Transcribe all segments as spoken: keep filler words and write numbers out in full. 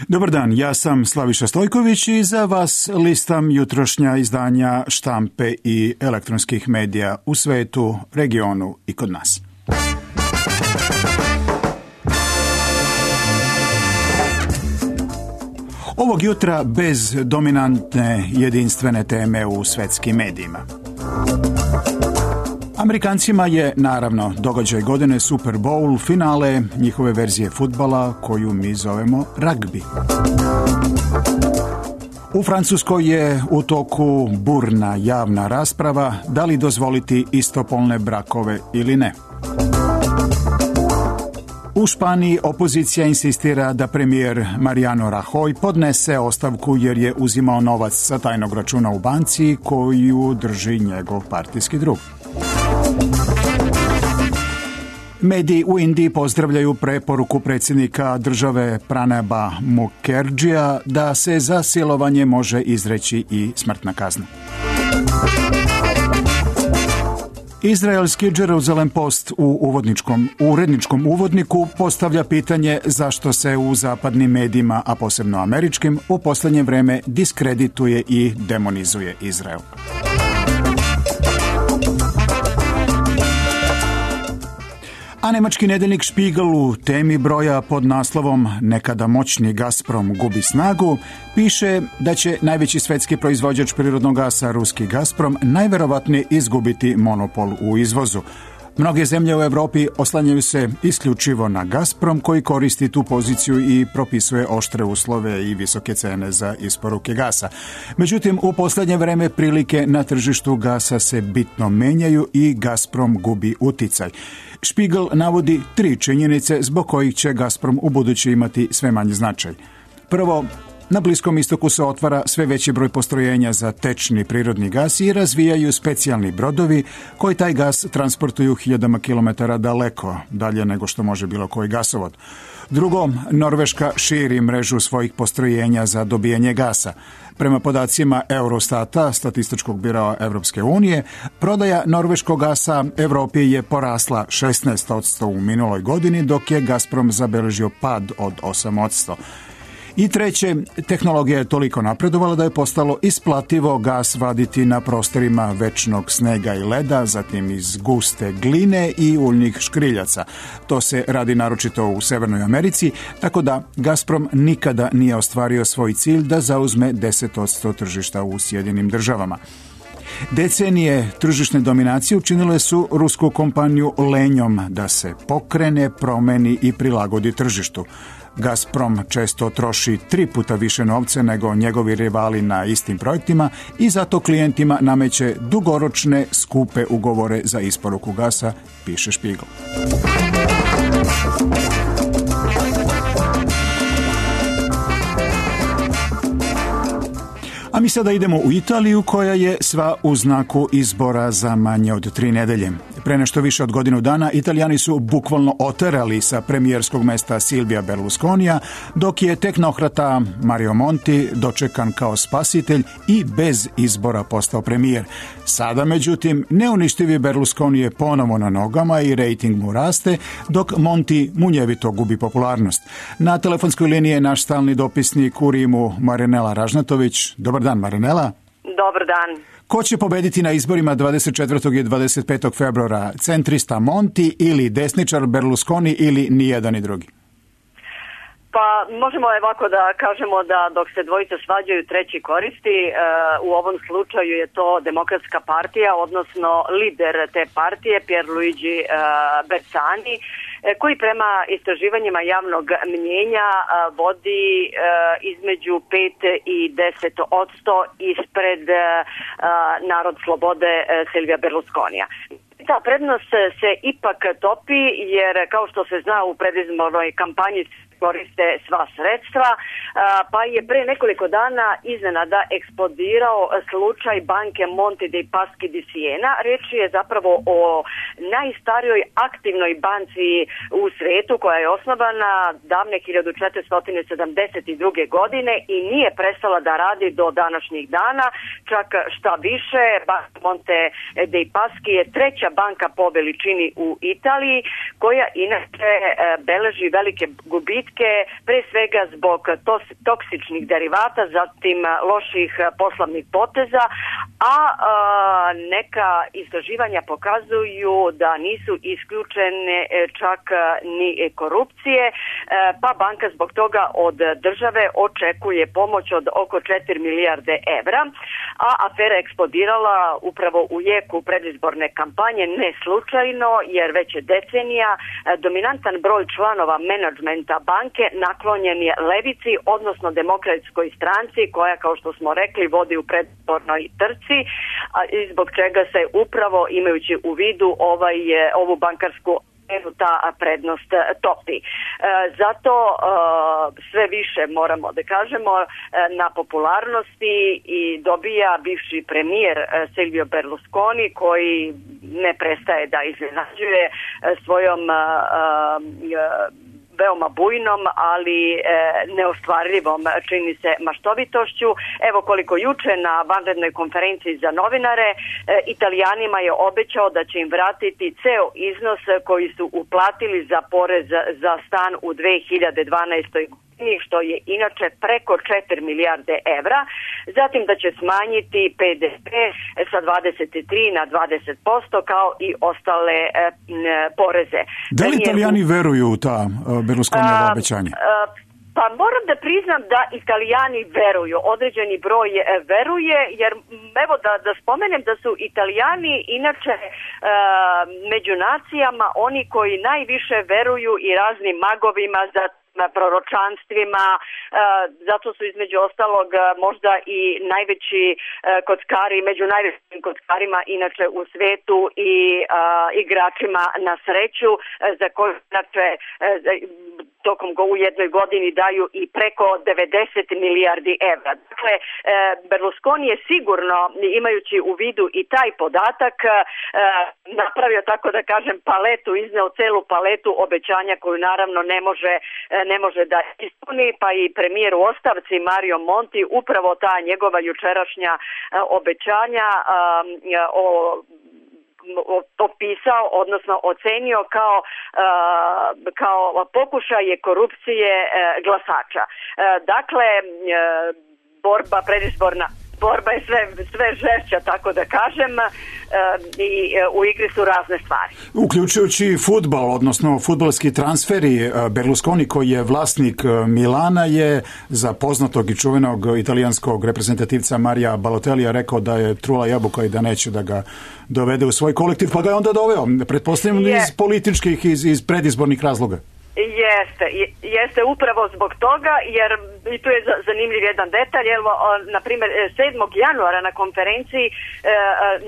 Dobar dan, ja sam Slaviša Stojković i za vas listam jutrošnja izdanja štampe i elektronskih medija u svetu, regionu i kod nas. Ovog jutra bez dominantne jedinstvene teme u svetskim medijima. Amerikancima je, naravno, događaj godine Super Bowl, finale njihove verzije fudbala koju mi zovemo ragbi. U Francuskoj je u toku burna javna rasprava da li dozvoliti istopolne brakove ili ne. U Španiji opozicija insistira da premijer Mariano Rajoy podnese ostavku jer je uzimao novac sa tajnog računa u banci koju drži njegov partijski drug. Mediji u Indiji pozdravljaju preporuku predsjednika države Pranaba Mukherjeeja da se za silovanje može izreći i smrtna kazna. Izraelski Jerusalem Post u uvodničkom, uredničkom uvodniku postavlja pitanje zašto se u zapadnim medijima, a posebno američkim, u posljednje vrijeme diskredituje i demonizuje Izrael. A nemački nedeljnik Spiegel u temi broja pod naslovom Nekada moćni Gazprom gubi snagu piše da će najveći svetski proizvođač prirodnog gasa, ruski Gazprom, najverovatnije izgubiti monopol u izvozu. Mnoge zemlje u Europi oslanjaju se isključivo na Gazprom koji koristi tu poziciju i propisuje oštre uslove i visoke cene za isporuke gasa. Međutim, u posljednje vreme prilike na tržištu gasa se bitno menjaju i Gazprom gubi uticaj. Spiegel navodi tri činjenice zbog kojih će Gazprom u budući imati sve manji značaj. Prvo, na Bliskom istoku se otvara sve veći broj postrojenja za tečni prirodni gas i razvijaju specijalni brodovi koji taj gas transportuju hiljadama kilometara daleko, dalje nego što može bilo koji gasovod. Drugo, Norveška širi mrežu svojih postrojenja za dobijanje gasa. Prema podacima Eurostata, statističkog biroa Evropske unije, prodaja norveškog gasa Evropi je porasla šesnaest posto u minuloj godini, dok je Gazprom zabeležio pad od osam posto. I treće, tehnologija je toliko napredovala da je postalo isplativo gas vaditi na prostorima večnog snega i leda, zatim iz guste gline i uljnih škriljaca. To se radi naročito u Severnoj Americi, tako da Gazprom nikada nije ostvario svoj cilj da zauzme deset posto tržišta u Sjedinim državama. Decenije tržišne dominacije učinile su rusku kompaniju lenjom da se pokrene, promeni i prilagodi tržištu. Gazprom često troši tri puta više novca nego njegovi rivali na istim projektima i zato klijentima nameće dugoročne, skupe ugovore za isporuku gasa, piše Spiegel. A mi sada idemo u Italiju koja je sva u znaku izbora za manje od tri nedelje. Pre nešto više od godinu dana Italijani su bukvalno oterali sa premijerskog mesta Silvija Berlusconija, dok je tehnokrata Mario Monti dočekan kao spasitelj i bez izbora postao premijer. Sada, međutim, neuništivi Berlusconi je ponovo na nogama i rejting mu raste, dok Monti munjevito gubi popularnost. Na telefonskoj liniji je naš stalni dopisnik u Rimu Marinela Ražnatović. Dobar dan, Marinela. Dobar dan. Ko će pobediti na izborima dvadeset četvrtog i dvadeset petog februara? Centrista Monti ili desničar Berlusconi ili nijedan i drugi? Pa možemo ovako da kažemo da dok se dvojice svađaju treći koristi, u ovom slučaju je to Demokratska partija, odnosno lider te partije Pierluigi Bersani, koji prema istraživanjima javnog mnjenja vodi između pet i deset posto ispred Narod slobode Silvija Berlusconija. Ta prednost se ipak topi jer kao što se zna u predizbornoj kampanji koriste sva sredstva, pa je pre nekoliko dana iznenada eksplodirao slučaj banke Monte dei Paschi di Siena. Riječ je zapravo o najstarijoj aktivnoj banci u svijetu koja je osnovana davne hiljadu četiristo sedamdeset druge. godine i nije prestala da radi do današnjih dana. Čak šta više, banka Monte dei Paschi je treća banka po veličini u Italiji, koja inače beleži velike gubitke, pre svega zbog Tosk toksičnih derivata, zatim loših poslovnih poteza, a neka istraživanja pokazuju da nisu isključene čak ni korupcije, pa banka zbog toga od države očekuje pomoć od oko četiri milijarde evra, a afera je eksplodirala upravo u jeku predizborne kampanje, ne slučajno, jer već je decenija dominantan broj članova menadžmenta banke naklonjen je levici, odnosno demokratskoj stranci, koja, kao što smo rekli, vodi u predizbornoj trci, i zbog čega se upravo, imajući u vidu ovaj, ovu bankarsku ta prednost topi. Zato sve više, moramo da kažemo, na popularnosti i dobija bivši premijer Silvio Berlusconi, koji ne prestaje da iznenađuje svojom veoma bujnom, ali e, neostvarljivom, čini se, maštovitošću. Evo koliko juče na vanrednoj konferenciji za novinare e, Italijanima je obećao da će im vratiti ceo iznos koji su uplatili za porez za stan u dve hiljade dvanaestoj godini, što je inače preko četiri milijarde evra, zatim da će smanjiti P D P sa dvadeset tri na dvadeset posto kao i ostale e, poreze. Da li Italijani veruju u ta Berlusconijeva obećanja? Pa moram da priznam da Italijani veruju, određeni broj veruje, jer evo da, da spomenem da su Italijani inače e, među nacijama oni koji najviše veruju i raznim magovima, za proročanstvima, zato su između ostalog možda i najveći kockari, među najvećim kockarima inače u svetu i igračima na sreću, za koje inače tokom go u jednoj godini daju i preko devedeset milijardi evra. Dakle, Berlusconi je sigurno, imajući u vidu i taj podatak, napravio, tako da kažem, paletu, izneo celu paletu obećanja koju naravno ne može ne može da ispuni, pa i premijer u ostavci Mario Monti upravo ta njegova jučerašnja obećanja o opisao, odnosno ocenio kao, kao pokušaje korupcije glasača. Dakle, borba predizborna borba je sve, sve žešća, tako da kažem, i u igri su razne stvari. Uključujući fudbal, odnosno fudbalski transferi, Berlusconi, koji je vlasnik Milana, je za poznatog i čuvenog italijanskog reprezentativca Marija Balotellija rekao da je trula jabuka i da neće da ga dovede u svoj kolektiv, pa ga je onda doveo, pretpostavljam, iz političkih, iz, iz predizbornih razloga. Jeste, jeste upravo zbog toga, jer i tu je zanimljiv jedan detalj. Evo, na primjer, sedmog januara na konferenciji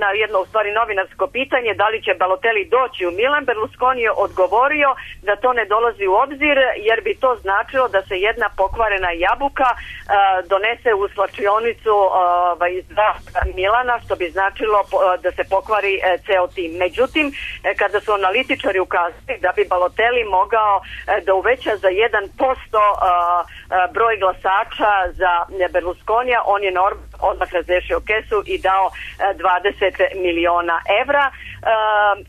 na jedno, u stvari, novinarsko pitanje da li će Balotelli doći u Milan, Berlusconi je odgovorio da to ne dolazi u obzir, jer bi to značilo da se jedna pokvarena jabuka donese u slačionicu iz Milana, što bi značilo da se pokvari ceo tim. Međutim, kada su analitičari ukazali da bi Balotelli mogao da uveća za jedan posto broj glasača za Berlusconija, on je odmah razrešio kesu i dao dvadeset miliona evra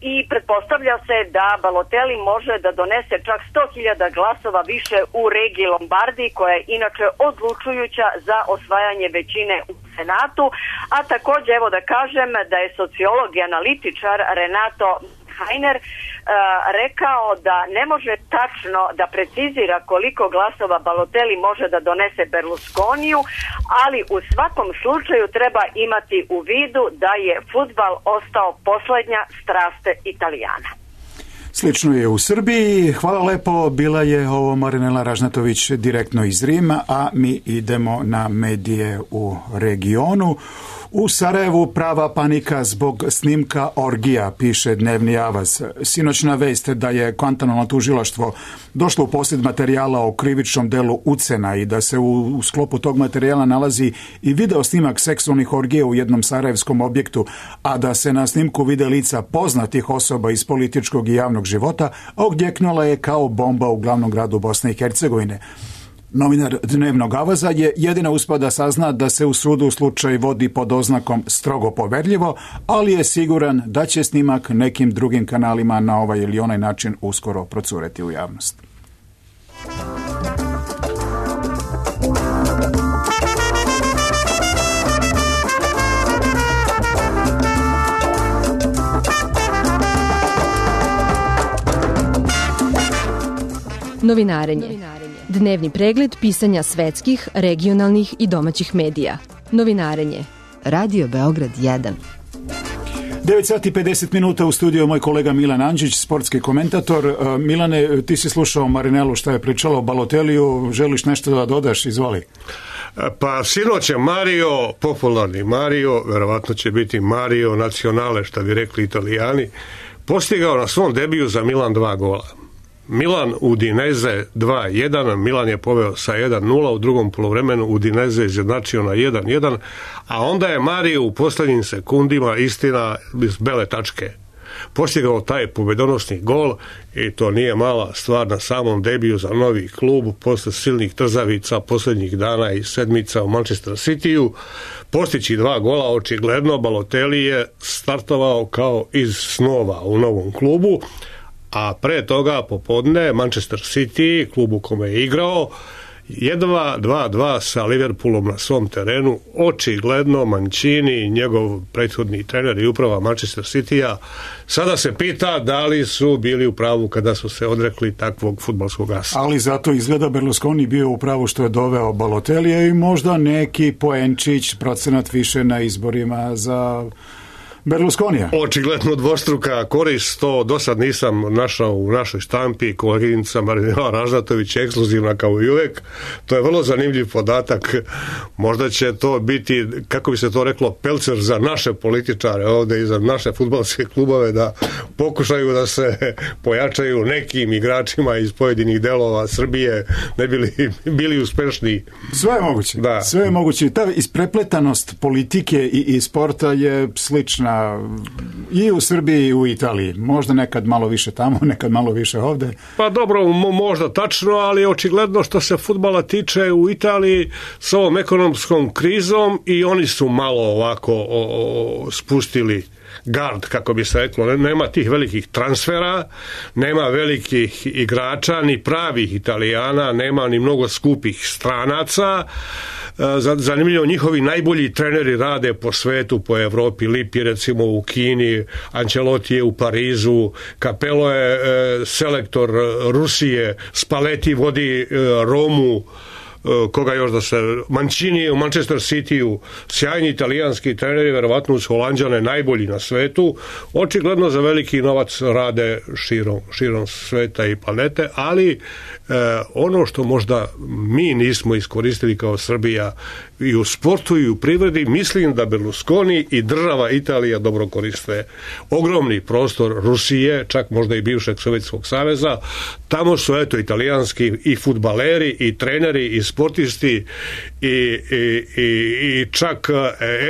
i pretpostavlja se da Balotelli može da donese čak sto hiljada glasova više u regiji Lombardiji, koja je inače odlučujuća za osvajanje većine u Senatu, a također evo da kažem da je sociolog i analitičar Renato Heiner uh, rekao da ne može tačno da precizira koliko glasova Balotelli može da donese Berlusconiju, ali u svakom slučaju treba imati u vidu da je fudbal ostao posljednja strast Italijana. Slično je u Srbiji. Hvala lepo, bila je ovo Marinela Ražnatović direktno iz Rima, a mi idemo na medije u regionu. U Sarajevu prava panika zbog snimka orgija, piše Dnevni avaz. Sinoćna vest da je Guantanamo tužilaštvo došlo u posjed materijala o krivičnom delu ucena i da se u, u sklopu tog materijala nalazi i video snimak seksualnih orgija u jednom sarajevskom objektu, a da se na snimku vide lica poznatih osoba iz političkog i javnog života, odjeknula je kao bomba u glavnom gradu Bosne i Hercegovine. Novinar Dnevnog avaza je jedina uspio da sazna da se u sudu slučaj vodi pod oznakom strogo poverljivo, ali je siguran da će snimak nekim drugim kanalima na ovaj ili onaj način uskoro procureti u javnost. Novinarenje. Dnevni pregled pisanja svetskih, regionalnih i domaćih medija. Novinarenje. Radio Beograd jedan. devet sati i pedeset minuta u studiju moj kolega Milan Andžić, sportski komentator. Milane, ti si slušao Marinelu šta je pričala o Baloteliju, želiš nešto da dodaš, izvoli. Pa sinoć je Mario, popularni Mario, verovatno će biti Mario Nazionale, što bi rekli Italijani, postigao na svom debiju za Milan dva gola. Milan Udinese dva jedan, Milan je poveo sa jedan nula, u drugom poluvremenu Udinese izjednačio na jedan jedan, a onda je Mario u posljednjim sekundima, istina, iz bele tačke postigao taj pobedonosni gol i to nije mala stvar na samom debiju za novi klub posle silnih trzavica posljednjih dana i sedmica u Manchester Cityu. Postići dva gola, očigledno Balotelli je startovao kao iz snova u novom klubu, a pre toga popodne Manchester City, klub u kome je igrao, jedva dva dva sa Liverpoolom na svom terenu. Očigledno Mancini, njegov prethodni trener i uprava Manchester Citya, sada se pita da li su bili u pravu kada su se odrekli takvog fudbalskog asa. Ali zato izgleda Berlusconi bio u pravu što je doveo Balotellija i možda neki poenčić, procenat više na izborima za Berlusconija. Očigledno dvostruka korist, to do sad nisam našao u našoj štampi. Koleginica Marinela Ražnatović je ekskluzivna kao i uvek. To je vrlo zanimljiv podatak. Možda će to biti, kako bi se to reklo, pelcer za naše političare ovde i za naše fudbalske klubove, da pokušaju da se pojačaju nekim igračima iz pojedinih delova Srbije, ne bili, bili uspešni. Sve je moguće. Da. Sve je moguće. Ta isprepletanost politike i, i sporta je slična i u Srbiji i u Italiji. Možda nekad malo više tamo, nekad malo više ovde. Pa dobro, možda tačno, ali očigledno što se fudbala tiče u Italiji s ovom ekonomskom krizom i oni su malo ovako o, o, spustili gard, kako bi se reklo. Nema tih velikih transfera, nema velikih igrača, ni pravih Italijana, nema ni mnogo skupih stranaca. Zanimljivo, njihovi najbolji treneri rade po svetu, po Evropi. Lippi recimo u Kini, Ancelotti je u Parizu, Capello je e, selektor Rusije, Spalletti vodi e, Romu, koga još da se, Mancini u Manchester Cityu, sjajni italijanski treneri, verovatno uz Holanđane najbolji na svetu. Očigledno za veliki novac rade širom, širom sveta i planete, ali eh, ono što možda mi nismo iskoristili kao Srbija i u sportu i u privredi, mislim da Berlusconi i država Italija dobro koriste ogromni prostor Rusije, čak možda i bivšeg Sovjetskog saveza. Tamo su eto italijanski i fudbaleri i treneri i sportisti i, i, i, i čak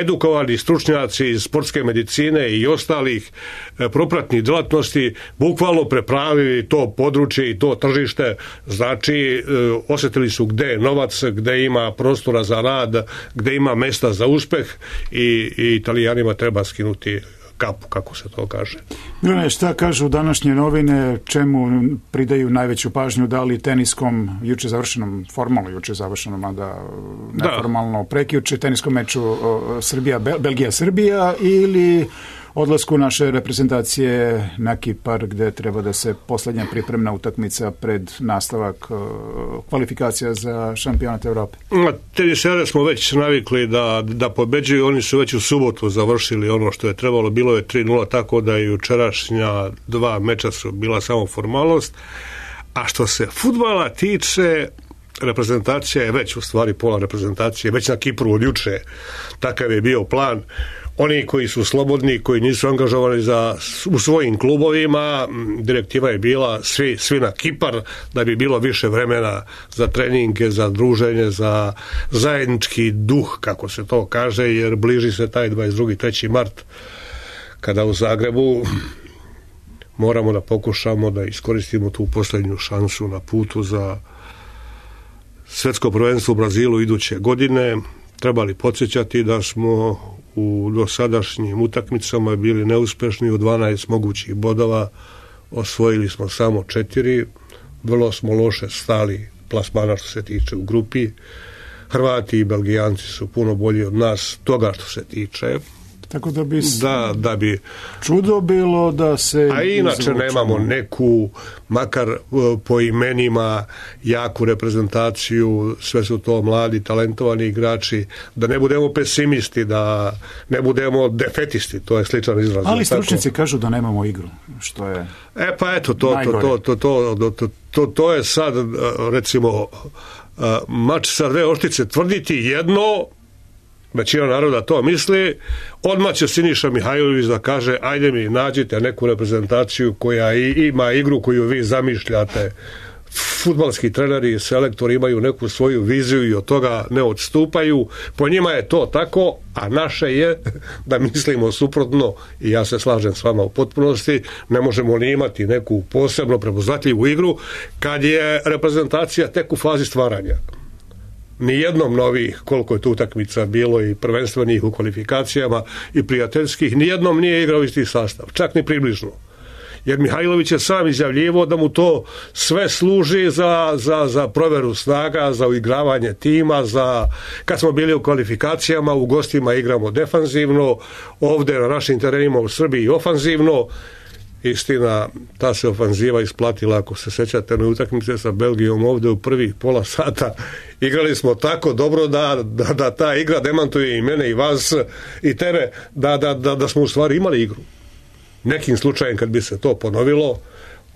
edukovani stručnjaci iz sportske medicine i ostalih propratnih djelatnosti bukvalno prepravili to područje i to tržište. Znači osjetili su gde je novac, gde ima prostora za rad, gde ima mesta za uspeh i, i Italijanima treba skinuti kapu, kako se to kaže. Milane, šta kažu današnje novine, čemu pridaju najveću pažnju, da li teniskom juče završenom, formalno juče završenom, a da neformalno prekjuče teniskom meču Srbija, Belgija, Srbija, ili odlasku naše reprezentacije na Kipar, gde treba da se poslednja pripremna utakmica pred nastavak kvalifikacija za šampionat Evrope? Tenisere smo već navikli da, da pobeđuju, oni su već u subotu završili ono što je trebalo, bilo je tri nula, tako da i jučerašnja dva meča su bila samo formalnost. A što se fudbala tiče, reprezentacija je već u stvari pola reprezentacije, već na Kipru od juče, takav je bio plan. Oni koji su slobodni, koji nisu angažovani za, u svojim klubovima, direktiva je bila svi, svi na Kipar, da bi bilo više vremena za treninge, za druženje, za zajednički duh, kako se to kaže, jer bliži se taj dvadeset drugi treći mart, kada u Zagrebu moramo da pokušamo da iskoristimo tu posljednju šansu na putu za svetsko prvenstvo u Brazilu iduće godine. Trebali podsjećati da smo u dosadašnjim utakmicama bili neuspešni, u dvanaest mogućih bodova osvojili smo samo četiri, vrlo smo loše stali plasmana što se tiče u grupi. Hrvati i Belgijanci su puno bolji od nas toga što se tiče Tako da bi, da, da bi čudo bilo da se... A inače izvučemo. Nemamo neku, makar po imenima, jaku reprezentaciju, sve su to mladi, talentovani igrači, da ne budemo pesimisti, da ne budemo defetisti, to je sličan izraz. Ali stručnici kažu da nemamo igru, što je E pa eto, to, to, to, to, to, to, to, to je sad, recimo, mač sa dve oštice, tvrditi jedno, većina naroda to misli, odmah će Siniša Mihajlović da kaže ajde mi nađite neku reprezentaciju koja ima igru koju vi zamišljate. Fudbalski treneri i selektori imaju neku svoju viziju i od toga ne odstupaju. Po njima je to tako, a naše je da mislimo suprotno i ja se slažem s vama u potpunosti. Ne možemo ni imati neku posebno prepoznatljivu igru kad je reprezentacija tek u fazi stvaranja. Nijednom novih, koliko je tu utakmica bilo i prvenstvenih u kvalifikacijama i prijateljskih, nijednom nije igrao isti sastav, čak ni približno. Jer Mihajlović je sam izjavljivo da mu to sve služi za, za, za proveru snaga, za uigravanje tima, za kad smo bili u kvalifikacijama, u gostima igramo defanzivno, ovde na našim terenima u Srbiji ofanzivno. Istina, ta se ofanziva isplatila, ako se sećate na utakmice sa Belgijom ovde u prvih pola sata. Igrali smo tako dobro da, da, da ta igra demantuje i mene i vas i tebe, da, da, da, da smo u stvari imali igru. Nekim slučajem kad bi se to ponovilo,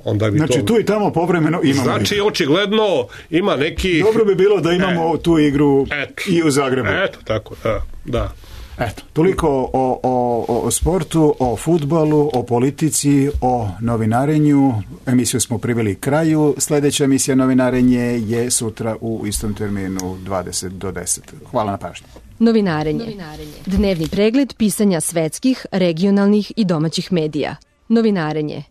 onda bi znači to... tu i tamo povremeno imamo znači igru. Očigledno ima neki... Dobro bi bilo da imamo e, tu igru et, i u Zagrebu. Eto, tako, da, da. Eto, toliko o, o, o sportu, o fudbalu, o politici, o novinarenju. Emisiju smo priveli kraju. Sljedeća emisija Novinarenje je sutra u istom terminu dvadeset do deset. Hvala na pažnji. Novinarenje. Novinarenje. Dnevni pregled pisanja svetskih, regionalnih i domaćih medija. Novinarenje.